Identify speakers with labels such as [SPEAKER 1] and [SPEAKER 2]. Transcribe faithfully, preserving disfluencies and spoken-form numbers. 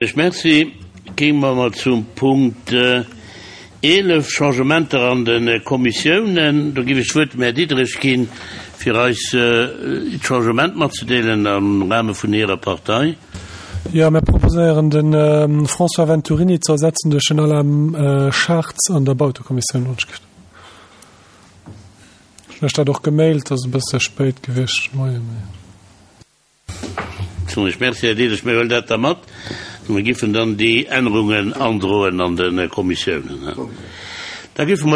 [SPEAKER 1] Ech Merci. Géinge mer mol zum Punkt eelef, Changementer an de Kommissiounen. Do géif ech d'Wuert dem Här Diderich ginn, fir eis d'Changement matzedeelen am Rahme vun hirer Partei.
[SPEAKER 2] Jo, mir proposéieren de François Venturini ze ersetzen duerch den Alain Schartz an der Bautekommissioun. Ech hunn lech dat och gemailt, ass e bësse spéit gewiescht de Moien, mee.
[SPEAKER 1] Ech Merci, Här Diderich. Mir huelen dat da mat. Mir giffen dann déi Ännerungen androen an de Kommissiounen. Da giffe mer.